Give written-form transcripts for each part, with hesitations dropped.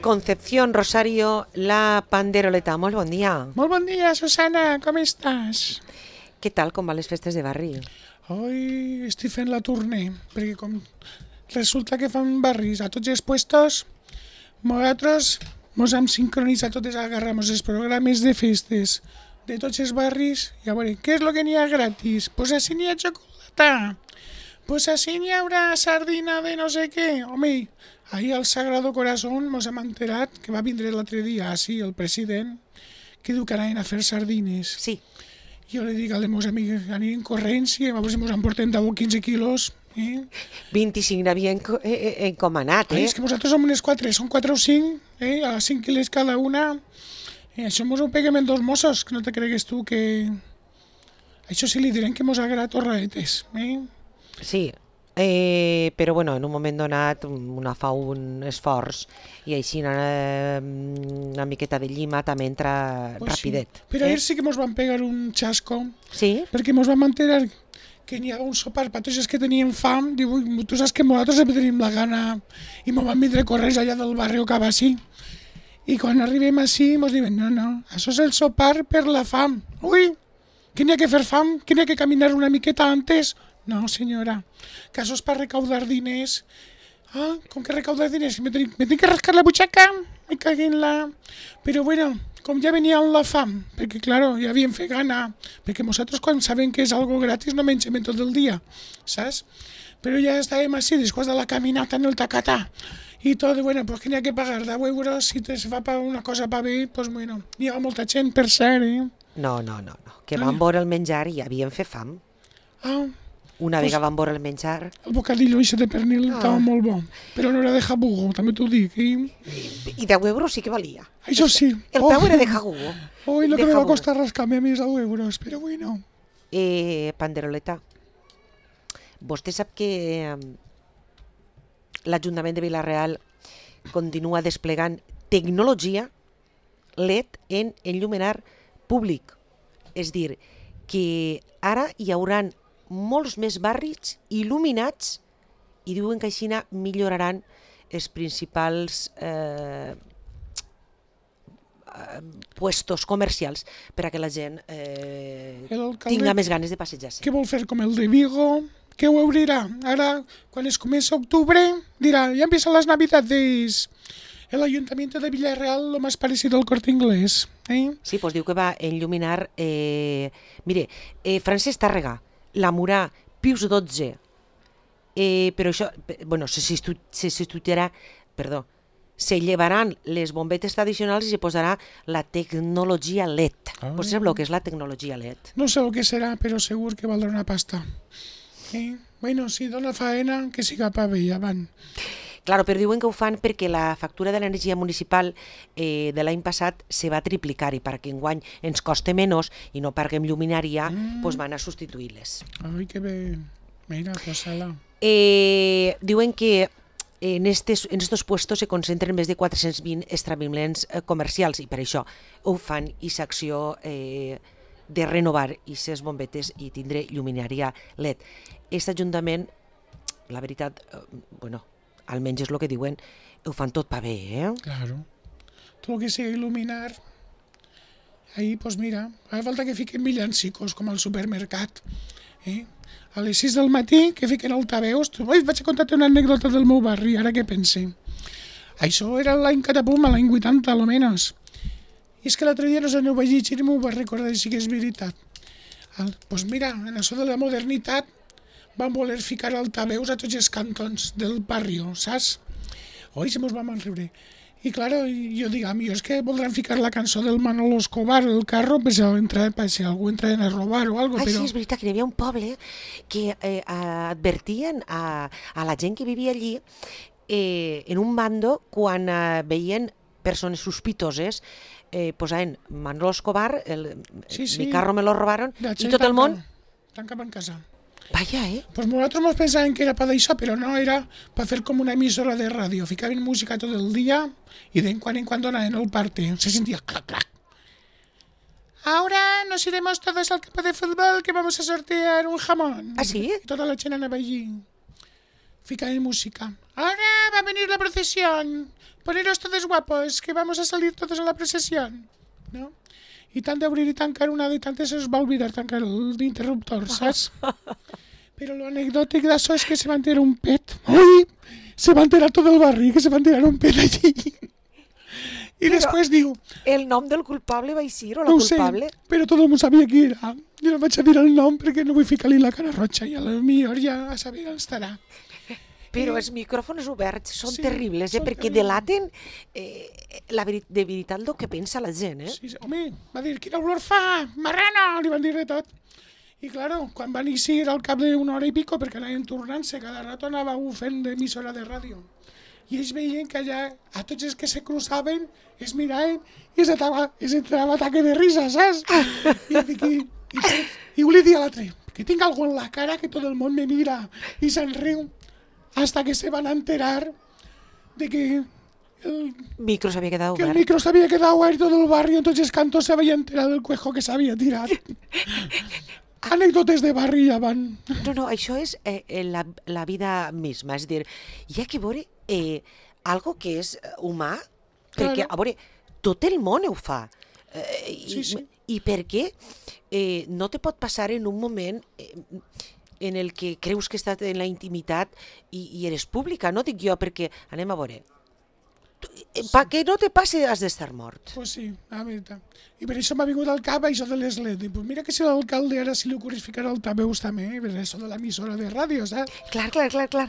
Concepción Rosario, la Panderoleta. Molt bon dia. Molt bon dia, Susana, com estàs? Què tal, com van les festes de barri? Hoy estic fent la tournée, perquè com resulta que fan barris a tots els puestos, nosaltres mos hem sincronitzat totes, agarramos els programes de festes de tots els barris i a veure, què és el que n'hi ha gratis? Pues així n'hi ha xocolata, pues així n'hi haurà sardina de no sé què. Home, ahir al Sagrado Corazón mos hem enterat que va vindre l'altre dia, així, el president, que diu que anaven a fer sardines. Sí. Jo li dic a les meves amigues, anirem corrents i a veure si mos emportem 10 o 15 quilos. 25 n'havia encomanat, Ai, és que nosaltres som unes 4, són 4 o 5, a 5 quilos cada una. Això mos ho peguem en 2 mossos, que no te cregues tu que... Això sí li direm que mos agrada torraetes. Sí, però bueno, en un moment donat una fa un esforç i així una miqueta de llima també entra pues rapidet. Sí. Però ahir sí que mos van pegar un xasco, sí? Perquè mos vam enterar que n'hi havia un sopar per tots els que tenien fam. Diu, tu saps que nosaltres sempre tenim la gana i mos van vindre corrents allà del barri o cap així. I quan arribem així mos diuen, no, això és el sopar per la fam. Ui, que n'hi ha que fer fam, que n'hi ha que caminar una miqueta antes. No, senyora, que això és per recaudar diners. Ah, com que recaudar diners? Me tinc que rascar la butxaca? Me cagué en la... Però bueno, com ja venia amb la fam, perquè claro, ja havíem fet gana, perquè nosaltres quan sabem que és algo gratis no mengem tot el dia, saps? Però ja estàvem així, després de la caminata en el tacatà, i tot, bueno, pues que n'hi ha que pagar 10 euros, si te fa una cosa pa bé, pues bueno, n'hi ha molta gent, per cert, No, que van veure el menjar i havien fet fam. Ah, una vegada van veure el menjar... El bocadillo això de pernil estava molt bo, però no era de jabugo, també t'ho dic. I 10 euros sí que valia. Això sí. El peu era de jabugo. Oi, lo que me va costar rascar-me a mi 10 euros, però bueno. Panderoleta, vostè sap que l'Ajuntament de Vila-real continua desplegant tecnologia LED en enllumenar públic. És dir, que ara hi hauran molts més barris il·luminats i diuen que així milloraran els principals puestos comercials per a que la gent tinga més ganes de passejar-se. Què vol fer com el de Vigo? Què ho obrirà? Ara, quan es comença octubre, dirà, ja empiezan las navidades. El Ayuntamiento de Villarreal lo más parecido al Corte Inglés. Sí, doncs diu que va enlluminar... Mire, Francesc Tàrrega, la Murà, Pius XII, però això, bueno, se llevaran les bombetes tradicionals i se posarà la tecnologia LED. Vostè sap el que és la tecnologia LED? No sé el que serà, però segur que valdrà una pasta. Bueno, si dona faena, que siga pa bé, avant. Claro, però diuen que ho fan perquè la factura de l'energia municipal de l'any passat se va triplicar i perquè enguany ens costa menys i no paguem lluminària, doncs van a substituir-les. Ai, que bé. Mira, cosa-la. Diuen que en estos puestos se concentren més de 420 establiments comercials i per això ho fan i s'acció de renovar aquestes bombetes i tindre lluminària LED. Aquest Ajuntament, la veritat, bueno, almenys és el que diuen, ho fan tot pa bé, Claro. Tot el que sigui il·luminar. Ahí, pues mira, fa falta que fiquen villancicos, com al supermercat. A les 6 del matí, que fiquen altaveus. Vaig a contar-te una anècdota del meu barri, ara que pense. Això era l'any catapum, l'any 80, almenys. I és que l'altre dia no sé, ho vaig llegir i m'ho vaig recordar si que és veritat. Pues mira, en això de la modernitat, van voler ficar altaveus a tots els cantons del barri, saps? Oi, se mos vam enriure. I claro, jo dic, és que voldran ficar la cançó del Manolo Escobar, el carro, per si algú entra a robar o algo. Sí, és veritat que hi havia un poble que advertien a la gent que vivia allí en un bando quan veien persones sospitoses, posaven Manolo Escobar, mi carro me lo robaron, i tot el món... Tancaven casa. Vaya, Pues nosaltres ens pensàvem que era per això, però no, era per fer com una emissora de ràdio. Ficaven música tot el dia i de quan en quan anaven al parte. Se sentia clac, clac. Ahora nos iremos todos al campo de fútbol que vamos a sortear un jamón. ¿Ah, sí? I tota la gent anava allí. fica de música. Ahora va a venir la procesión. Poneros todos guapos, que vamos a salir todos a la procesión. ¿No? I tant d'obrir i tancar una de tantes es va oblidar tancar l'interruptor, saps? Però l'anecdòtic d'això és que se va enterar un pet. Ui! Se va enterar tot el barri, que se va enterar un pet allí. I després diu... El nom del culpable va ser o la no culpable? Sé, però tot el món sabia qui era. Jo no vaig a dir el nom perquè no vull ficar-li la cara roja i a la millor ja a saber on estarà. Però els micròfons oberts són Sí, terribles, són perquè terribles. delaten de veritat el que pensa la gent. Sí, home, va dir, quina olor fa, marrano, li van dir de tot. I claro, quan van eixir al cap d'una hora i pico, perquè anaven tornant-se, cada rato anava fent d'emissora de ràdio. I ells veien que allà, a tots els que se cruzaven, es miraven i es entrava ataque de risa, saps? I li dia a l'altre, que tinc algo en la cara que tot el món me mira i se'n riu, hasta que se van enterar de que el Micro s'havia quedat obert. micro s'havia quedat obert tot el barri, entonces Canto se havia enterat del cuejo que s'havia tirat. Anècdotes de barri ja van. No, això és la vida misma, és a dir, hi ha que veure algo que és humà, perquè, a veure, tot el món ho fa. I per què no te pot passar en un moment en el que creus que estàs en la intimitat i eres pública, no dic jo, perquè anem a veure. Que no te passi has d'estar mort. Pues sí, la veritat. I per això m'ha vingut al cap això de les LED. Pues mira que si l'alcalde ara si li ocorres ficar altaveus també, per això de l'emissora de ràdio, saps? Clar.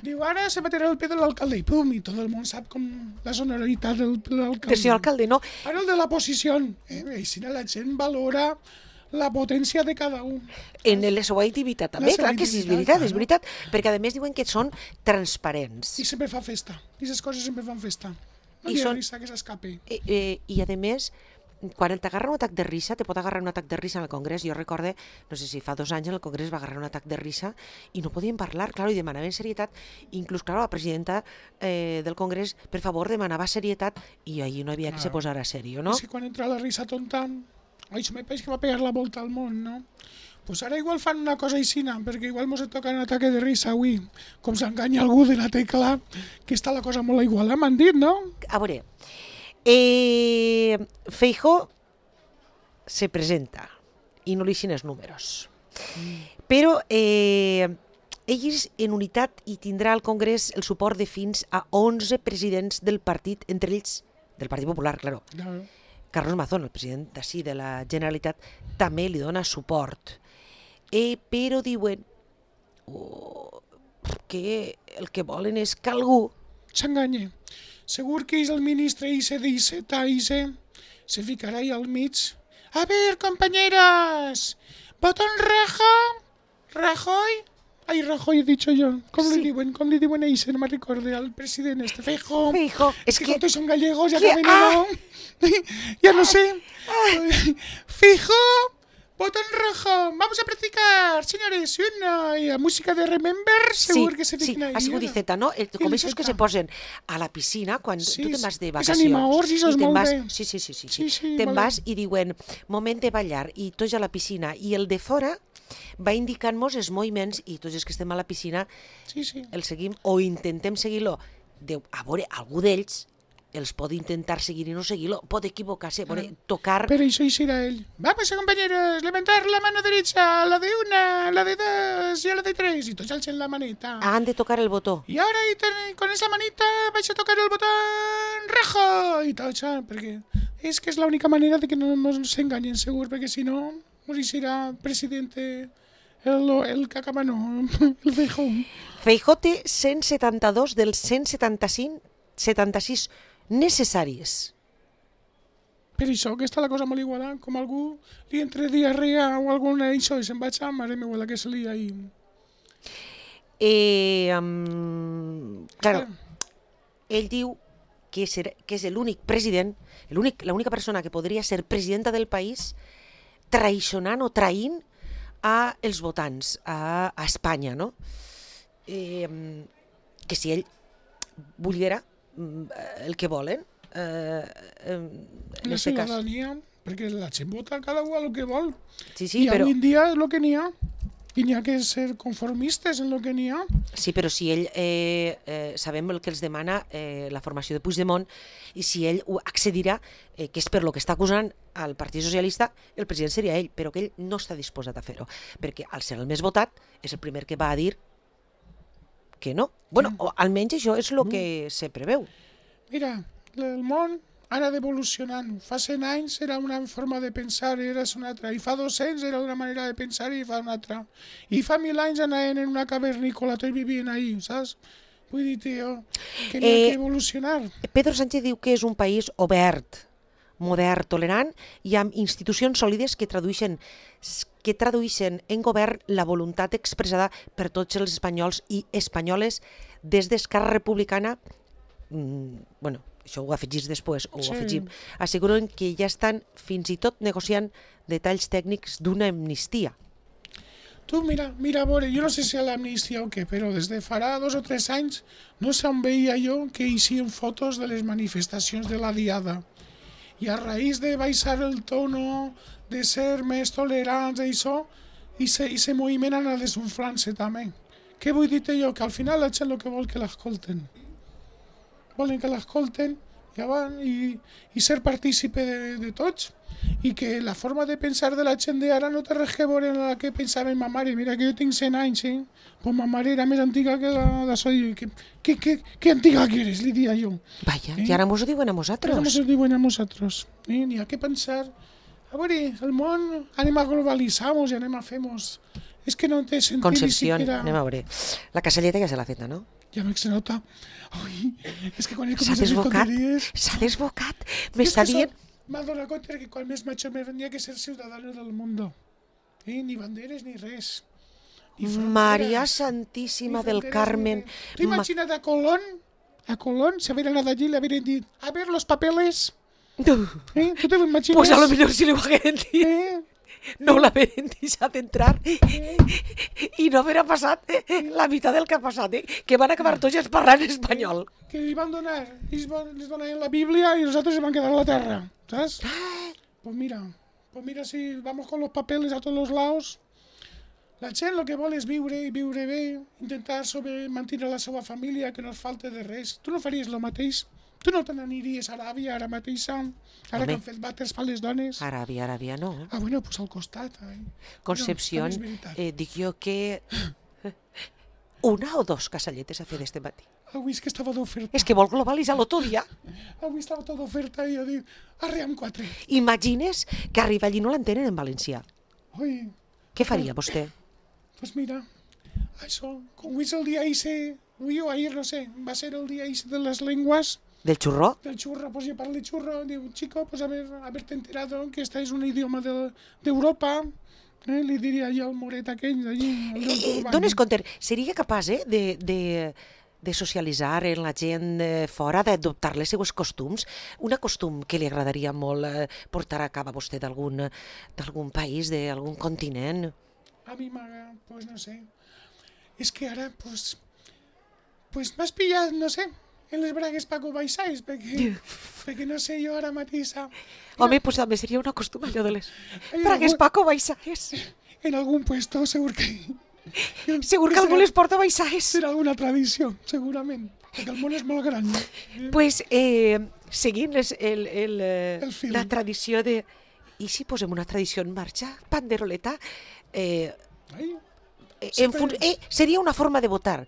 Diu, ara se meterà el pie de l'alcalde i pum, i tot el món sap com la sonoritat del l'alcalde. Del senyor alcalde, no? Ara el de la posició. Així la gent valora la potència de cada un. En la seva intimitat també, clar que sí, és veritat, perquè a més diuen que són transparents. I sempre fa festa, i aquestes coses sempre fan festa. No hi ha risa que s'escapi. I a més, quan t'agarra un atac de risa, te pot agarrar un atac de risa en el Congrés. Jo recorde, no sé si fa 2 anys en el Congrés va agarrar un atac de risa i no podien parlar, claro, i demanaven serietat. Inclús, claro, la presidenta del Congrés, per favor, demanava serietat i allí no havia que se posara serio, no? És que quan entra la risa tonta, això me pareix que va pegar la volta al món, no? Pues ara igual fan una cosa aixina, perquè igual mos toca un ataque de risa avui. Com s'enganya algú de la tecla, que està la cosa molt igual, m'han dit, no? A veure, Feijóo se presenta i no li eixin els números. Però ell és en unitat i tindrà al Congrés el suport de fins a 11 presidents del partit, entre ells del Partit Popular, claro. Carlos Mazón, el president d'ací de la Generalitat, també li dona suport. Però diuen que el que volen és que algú s'enganya. Segur que és el ministre Ise d'Ise, se ficarà ahí al mig. A ver, compañeras, ¿botón rojo? ¿Rajoy? Ai, Rajoy he dicho yo. Com li diuen a Ise? No me recordo, al president este. Feijóo. És que com són gallegos ja acaben no. Ya no sé. Feijóo. Botón rojo, vamos a practicar, señores, y la música de Remember, segur que se fiquen ahí. Sí, ha sigut Iceta, no? Com aquests que se posen a la piscina quan tu te'n vas de vacacions. És animadors i sos molt bé. Sí. Te'n vas i diuen, moment de ballar, i tots a la piscina, i el de fora va indicant-nos els moviments i tots els que estem a la piscina el seguim o intentem seguir-lo. A veure, algú d'ells els pot intentar seguir i no seguir-lo, pot equivocar-se, tocar... Pero eso será él. Vamos, compañeros, levantar la mano derecha, la de 1, la de 2 y la de 3, y todos alcen la manita. Han de tocar el botó. Y ahora con esa manita vais a tocar el botón rojo, y todo eso, porque es que es la única manera de que no nos engañen, seguro, porque si no, será presidente el cacamano, el Feijóo. Feijóo té 172 dels 176 necessaris. Per això que està la cosa molt igualada, com algú li entre diarrea o alguna d'això i se'n vaig a mare meva la que se lia ahí. Claro, ell diu que és l'únic president, l'única persona que podria ser presidenta del país traït traint a els votants, a Espanya, no? Que si ell volguera el que volen, la ciutadania, perquè la gent vota cada un el que vol. Sí, i avui en dia és el que n'hi ha. I n'hi ha que ser conformistes en el que n'hi ha. Sí, però si ell, sabem el que els demana la formació de Puigdemont, i si ell ho accedirà, que és per lo que està acusant al Partit Socialista, el president seria ell, però que ell no està disposat a fer-ho, perquè al ser el més votat és el primer que va a dir que no. Bueno, o almenys això és el que se preveu. Mira, el món ha anat evolucionant. Fa 100 anys era una forma de pensar i era una altra. I fa 200 era una manera de pensar i fa una altra. I fa 1000 anys anaven en una cavernícola, tots vivien ahí, saps? Vull dir, tio, que n'hi ha que evolucionar. Pedro Sánchez diu que és un país obert, modern, tolerant i amb institucions sòlides que tradueixen en govern la voluntat expressada per tots els espanyols i espanyoles des d'Esquerra Republicana. Bueno, això ho afegís després, o ho afegim. Asseguren que ja estan fins i tot negociant detalls tècnics d'una amnistia. Tu mira, a veure, jo no sé si a l'amnistia o què, però des de farà 2 o 3 anys no se'n veia jo que hi eixien fotos de les manifestacions de la Diada. I a raïs de baixar el tono, de ser més tolerants i això, i se moviment anar desunflant-se també. Què vull dir-te jo? Que al final la gent el que vol que l'escolten. Volen que l'escolten i ser partícipe de tots, i que la forma de pensar de la gent d'ara no té res que veure amb la que pensava ma mare. Mira que jo tinc 100 anys, pues ma mare era més antiga que la de soy. ¿Qué antiga que eres? Li dia jo. Vaya, i ara mos ho diuen a nosaltres. Ara mos ho diuen a nosaltres. N'hi ha que pensar. A veure, el món anem a globalitzar-nos i anem a fer-nos. És que no té sentit. Concepció, anem a veure. La casalleta ja se l'ha feta, no? Ja veig que se nota. Ui, és que quan he començat a fer tonteries... S'ha desbocat. M'està dient... M'ha donat compte que quan més macho me vendria que ser ciudadano del mundo. Ni banderes ni res. Maria Santíssima del Carmen. Tu imagina't a Colón, si haver anat allí, le haver dit, a ver los papeles. Tu te lo imagines? Pues a lo millor si li ho hagueren dit. No l'haveren deixat entrar i no haver passat la meitat del que ha passat, que van acabar tots parlant espanyol. Que li van donar, ells les donaven la Bíblia i nosaltres van quedar a la terra, ¿sabes? Pues mira si vamos con los papeles a todos los lados. La gent el que vol és viure i viure bé, intentar mantenir la seva família, que no es falte de res. Tu no faries el mateix? Tu no te n'aniries a Aràbia ara mateixa? Ara que han fet vàters per les dones? Aràbia no. Ah, bueno, pues al costat. Concepció, dic jo que 1 o 2 casalletes a fer d'este matí. Avui és que estava d'oferta. És que vol globalitzar-lo tot ja. Avui estava tot d'oferta i jo dic, arre amb 4. Imagines que arriba allí no l'entenen en valencià. Ui. Què faria vostè? Pues mira, això, com avui és el dia ese, avui o ahir, no sé, va ser el dia ese de les llengües. ¿Del churro? Del churro, pues yo parlo de churro, digo, chico, pues haberte enterado que esta es un idioma de Europa, li diria jo al moret aquell d'allí. Dones compte, seria capaç de socialitzar en la gent fora, d'adoptar les seues costums? Un costum que li agradaria molt portar a cabo a vostè d'algun país, d'algun continent? A mi m'agrada, pues no sé. És que ara, pues m'has pillat, no sé, en les bragues Paco Baixais, perquè no sé jo ara mateixa. Home, pues també seria un costum allò de les bragues Paco Baixais. En algun puesto segur que... Segur que algú les porta Baixais. Serà alguna tradició, segurament, perquè el món és molt gran. Pues, seguint la tradició de... I si posem una tradició en marxa, panderoleta, seria una forma de votar.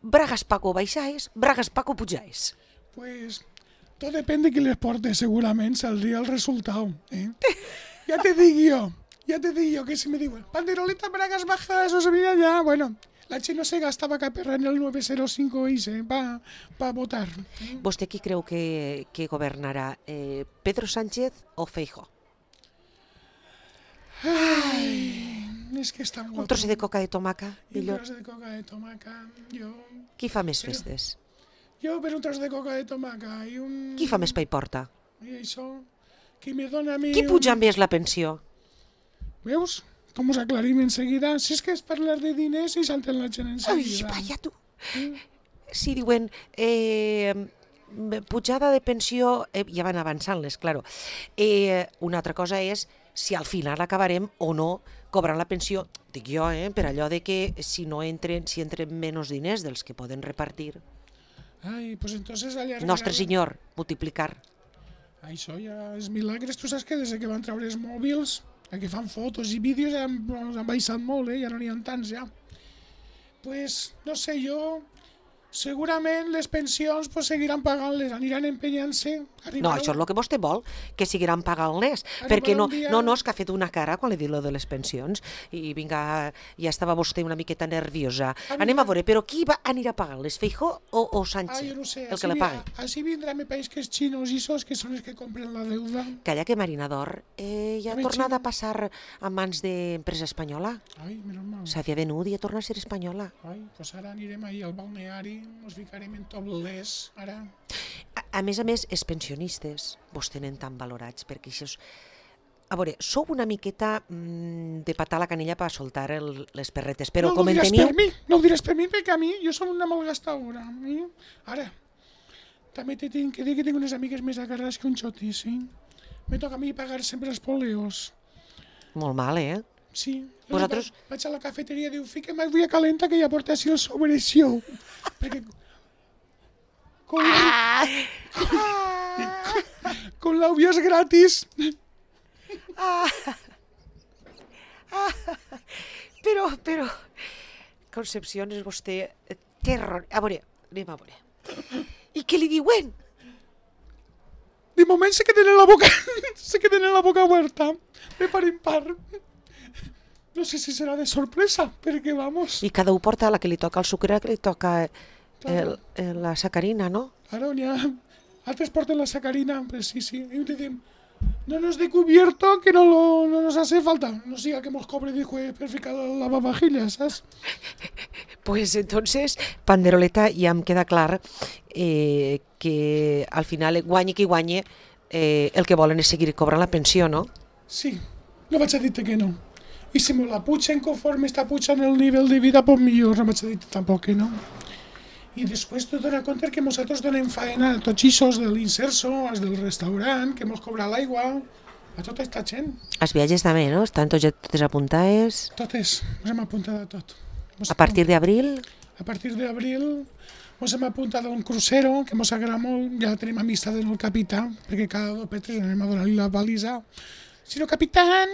Bragas Paco Baixaes, Bragas Paco Pujaes. Pues todo depende de qui les porte, segurament saldria el resultat. Ja te dic jo, que si me diuen panderoleta Bragas Bajas, o sabia ja, bueno, la gent no se gastava cap en el 905 para votar. Vostè qui creu que governarà, Pedro Sánchez o Feijóo? Ai, és que està molt... Un trosset de coca de tomaca, millor. Un trosset de coca de tomaca, jo... Qui fa més festes? Jo per un tros de coca de tomaca i un... Qui fa més pa i porta? I això, qui me dona a mi... Qui puja més la pensió? Veus? Com us aclarim en seguida? Si és que és parlar de diners i salten la gent en seguida. Ai, vaya tu! Si diuen... pujada de pensió, ja van avançant-les, claro. Una altra cosa és si al final acabarem o no cobrant la pensió, dic jo, per allò de que si entren menys diners dels que poden repartir. Ai, pues entonces allargar... Nostre senyor, multiplicar. Això ja és milagres. Tu saps que des que van treure els mòbils, que fan fotos i vídeos, han baixat molt, ja no n'hi ha tants, ja. Pues, no sé, jo... Segurament les pensions pues, seguiran pagant-les, aniran empenyant-se. No, això és el que vostè vol, que seguiran pagant-les, perquè no, és que ha fet una cara quan li diu lo de les pensions, i vinga, ja estava vostè una miqueta nerviosa. Anem a veure, però qui anirà pagant-les, Feijóo o Sánchez, jo no sé, el que la pagui? Així vindrà mi país que és xinos i sos, que són els que compren la deuda. Calla que Marina d'Or ja ha tornat a passar a mans d'empresa espanyola. Ai, menys mal. S'havia venut i ja torna a ser espanyola. Ai, doncs ara anirem ahir al balneari, ens ficarem en topless, ara. A més, els pensionistes vos tenen tan valorats, perquè això és... A veure, sou una miqueta de patar la canella per soltar les perretes, però com en teniu... No ho diràs per mi, perquè a mi, jo som una malgastadora. Ara, també t'he de dir que tinc unes amigues més agarrades que un xoti, sí? Me toca a mi pagar sempre els poleos. Molt mal, Sí. Vosaltres... Vaig a la cafeteria i diu, fiquem aigua calenta que ja porta així el sobreció. Perquè... Con l'àudio és gratis. Però... Concepción és vostè terror... A veure, anem a veure. I què li diuen? De moment se queden en la boca oberta. De par en par. No sé si serà de sorpresa, perquè vamos... I cada un porta la que li toca el sucre, que li toca la sacarina, ¿no? Claro, ya. Altres porten la sacarina, pues sí. Y dicen, no nos de cubierto, que no nos hace falta. No siga que nos cobre, dijo, per ficar la lavavajillas, ¿sabes? Pues entonces, panderoleta, ja em queda clar que al final, guanyi qui guanyi, el que volen és seguir cobrant la pensió, no? Sí, no vaig a dir-te que no. I si me la pugen conforme està pujant el nivell de vida, pues millor, no vaig a dir-te tampoc que no. I després te dones compte que nosaltres donem faena a tots ixos de l'inserso, als del restaurant, que mos cobra l'aigua, a tota aquesta gent. Els viatges també, no? Estan totes apuntades? Totes, ens hem apuntat a tot. A partir d'abril? A partir d'abril ens hem apuntat a un crucero, que ens agrada molt, ja tenim amistat en el capità, perquè cada 2 per 3 anem a donar-li la balisa. Si no, capitán,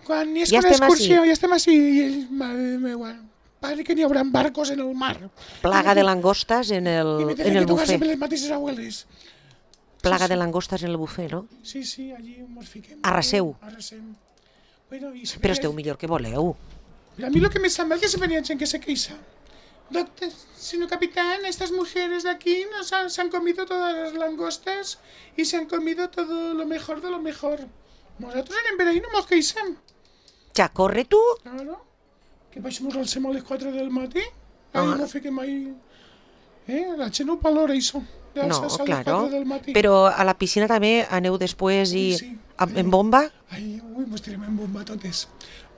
quan hi és una excursió, ja estem així, i ell, madre meva, padre que n'hi haurà barcos en el mar. Plaga de langostes en el buffet. I me tocar sempre les mateixes abueles. Plaga de langostes en el buffet, no? Sí, allí ens fiquem. Arraseu. Bueno, però esteu millor que voleu. A mí lo que me sembla es que se venía gente que se queixa. Doctor, señor capitán, estas mujeres de aquí se han comido todas las langostas y se han comido todo lo mejor de lo mejor. Nosotros en Emberaí no nos queixem. Ja, corre tu. Claro. Que baixem al SEM a les 4 del matí. Ahí no fiquem ahí. La gent no valora això. No, claro. Però a la piscina també aneu després i en bomba? Ai, mos tirem en bomba totes.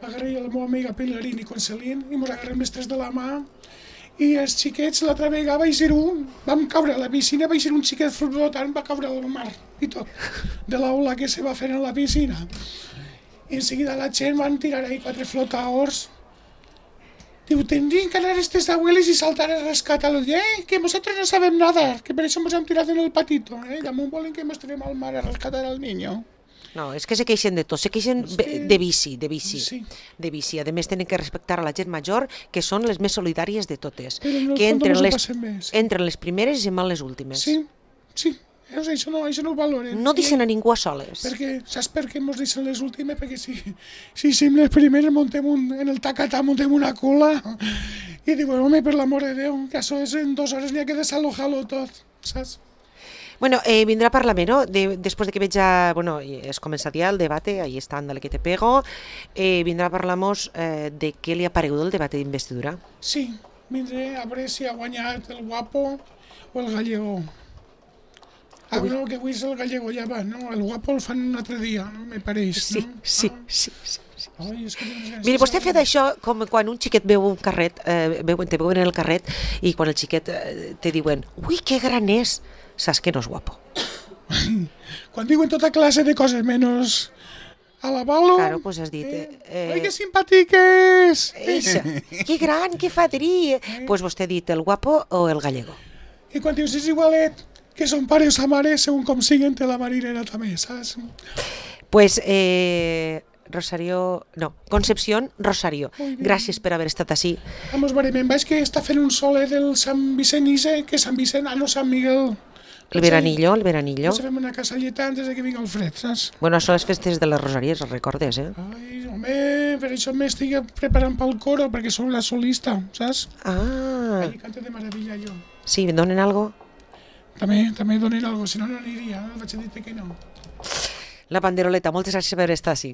M'agarré a la meva amiga Pilarín i Concelín i mos agarrem les 3 de la mà i els xiquets l'altra vegada vam caure a la piscina, va ser un xiquet flotant, va caure al mar i tot, de l'aula que se va fer en la piscina. I en seguida la gent van tirar ahí 4 flotadors. Diu, tendrían que anar estos abuelos y saltar a rescatarlos. Que nosotros no sabem nadar, que per això ens hem tirat en el patito. Damunt volen que ens tirem al mar a rescatar al niño. No, és que se queixen de tot, se queixen de bici. Sí. De bici. A més, tenen que respectar a la gent major, que són les més solidàries de totes. Però en el que fons entren les primeres i se'n van les últimes. Sí. Això no ho valoren. No deixen a ningú a soles. Perquè, saps per què ens deixen les últimes? Perquè si som les primeres en el tacatà muntem una cola i diuen, home, per l'amor de Déu, que això és en 2 hores n'hi ha que desalojar-lo tot, saps? Bueno, vindrà a parlar-me, no? Després de que veig es comença ja el debate, ahí està, ándale que te pego, vindrà a parlar-nos de què li ha paregut el debat d'investidura. Sí, vindré a veure si ha guanyat el guapo o el gallego. No, que avui és el gallego, ja va, no? El guapo el fan un altre dia, no? Me pareix, no? Sí. Ai, és que miri, vostè ha fet això com quan un xiquet veu un carret, te veuen en el carret i quan el xiquet te diuen, ui, que gran és, saps que no és guapo. Quan diuen tota classe de coses menys a la balo. Claro, pues has dit... Ai, que simpàtic és! Eixa, que gran, que fadrí! Pues vostè ha dit el guapo o el gallego. I quan dius és igualet, que són pare o sa mare, segons com siguen, té la marinera també, saps? Pues, Rosario... No, Concepción Rosario. Gràcies per haver estat així. Vamos, veurem, veig que està fent un soler del Sant Vicent Ise, que és Sant Vicent, no Sant Miguel. El veranillo, el veranillo. Ens fem una casalleta antes de que vingui el fred, saps? Bueno, són les festes de les Rosàries, els recordes, Ai, home, per això m'estic preparant pel coro, perquè soc la solista, saps? Ah. I canto de meravella, jo. Sí, donen algo? També donen algo, si no, no aniria, vaig a dir que no. La panderoleta, moltes gràcies per estar així.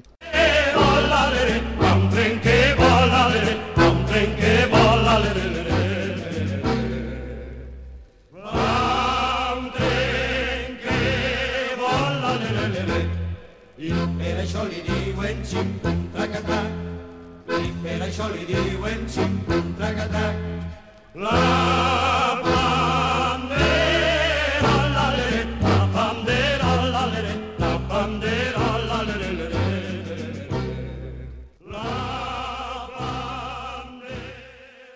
Per això li diuen xim-pum-trac-atac, i per això li diuen xim-pum-trac-atac. La bandera, la bandera, la bandera, la bandera.